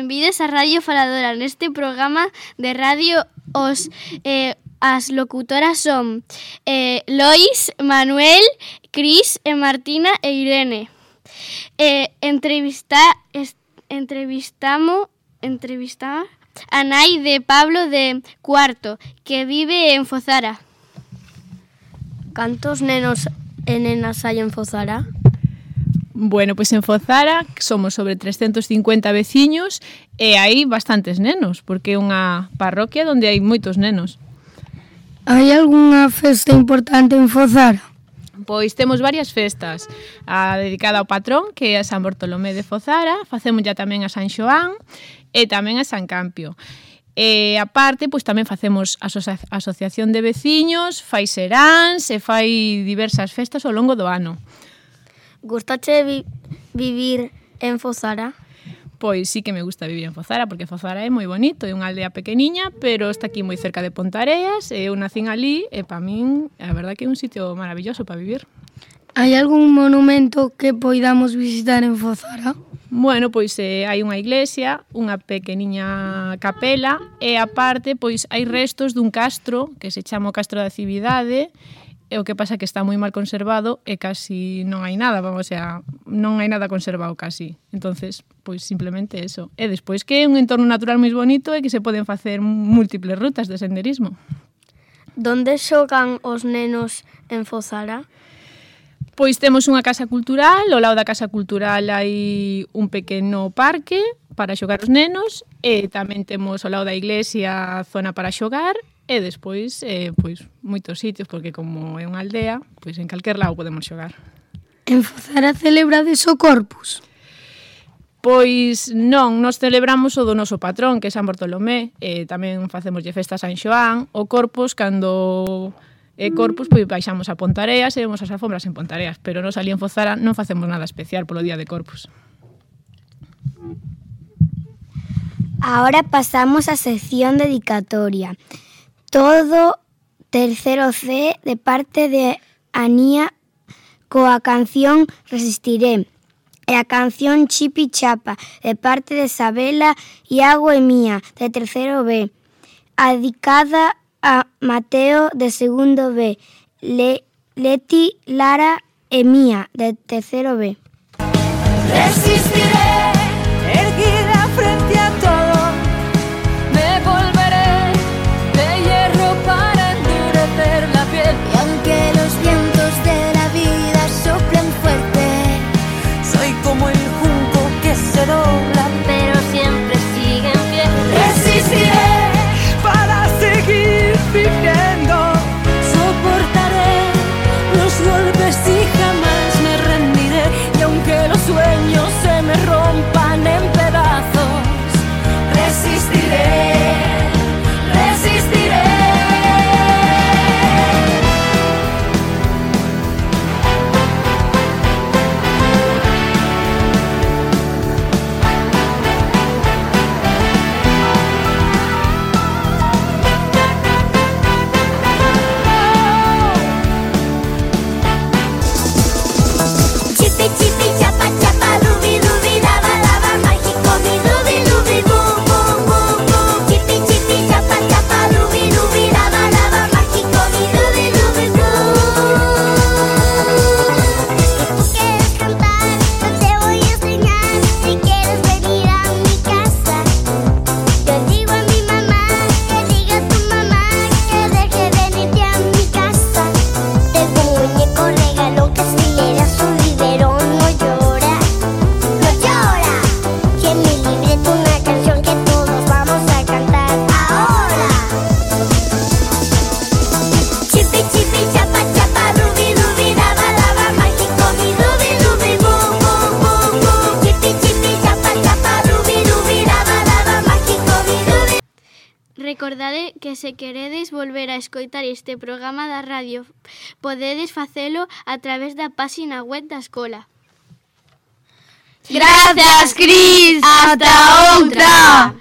benvides a Radio Faladora. Neste programa de radio as locutoras son Lois, Manuel, Cris, Martina e Irene. Entrevistamos a nai de Pablo de cuarto, que vive en Fozara. Cantos nenos e nenas hai en Fozara? Bueno, pois en Fozara somos sobre 350 veciños e hai bastantes nenos, porque é unha parroquia onde hai moitos nenos. Hai algunha festa importante en Fozara? Pois temos varias festas. A dedicada ao patrón, que é a San Bartolomé de Fozara, facemos ya tamén a San Xoán e tamén a San Campio. E aparte, pois tamén facemos asociación de veciños, fai seráns e fai diversas festas ao longo do ano. Gustache vivir en Fozara? Pois sí que me gusta vivir en Fozara, porque Fozara é moi bonito, é unha aldea pequeniña, pero está aquí moi cerca de Pontareas, e eu nacín ali, e para min, a verdad que é un sitio maravilloso para vivir. Hai algún monumento que poidamos visitar en Fozara? Bueno, pois hai unha iglesia, unha pequeniña capela, e aparte, pois hai restos dun castro, que se chama o Castro da Cividade, e o que pasa que está moi mal conservado e casi non hai nada, vamos, o sea, non hai nada conservado casi. Entonces, pois simplemente eso. E despois que é un entorno natural moi bonito e que se poden facer múltiples rutas de senderismo. Donde xogan os nenos en Fozara? Pois temos unha casa cultural, ao lado da casa cultural hai un pequeno parque para xogar os nenos e tamén temos ao lado da iglesia zona para xogar e despois pois moitos sitios, porque como é unha aldea, pois en calquer lado podemos xogar. En Fozara celebrades o Corpus? Pois non, nos celebramos o do noso patrón, que é San Bartolomé, e tamén facemoslle festa a San Xoán. O Corpus, cando é Corpus, pois baixamos a Pontareas e vemos as alfombras en Pontareas, pero nos ali en Fozara non facemos nada especial polo día de Corpus. Ahora pasamos a sección dedicatoria. Todo tercero C de parte de Anía coa canción Resistiré. E a canción Chipi Chapa de parte de Sabela, Iago e Mía de tercero B. Dedicada a Mateo de segundo B. Leti, Lara e Mía de tercero B. Resistiré, erguida frente a todo, me volveré de hierro para endurecer la piel. Y aunque los vientos de la vida soplen fuerte, Soy como el junco que se dobla, Pero siempre sigue en pie. resistiré para seguir viviendo. soportaré los golpes y jamás me rendiré. Y aunque los sueños se me rompan en pedazos, resistiré, resistiré. Chipi chipi chapa chapa, lubi lubi lava lava, mágico mi lubi lubi boom boom boom boom. Chipi chipi chapa chapa, lubi lubi lava lava, mágico mi lubi lubi boom. Si tú quieres cantar, yo te voy a enseñar. Si quieres venir a mi casa, yo digo a mi mamá, que diga a tu mamá, que deje venirte a mi casa. Tengo un muñeco regalo que si le das un biberón no llora, no llora. Y en mi libreta una canción que todos vamos a cantar ahora. Chipi chipi chapa chapa, lubi lubi lava lava, mágico mi lubi lubi boom boom boom boom. Chipi chipi chapa chapa, lubi lubi lava lava, mágico mi lubi. Recordade que se queredes volver a escoitar este programa da radio, podedes facelo a través da páxina web da escola. Gracias, Cris. Hasta outra.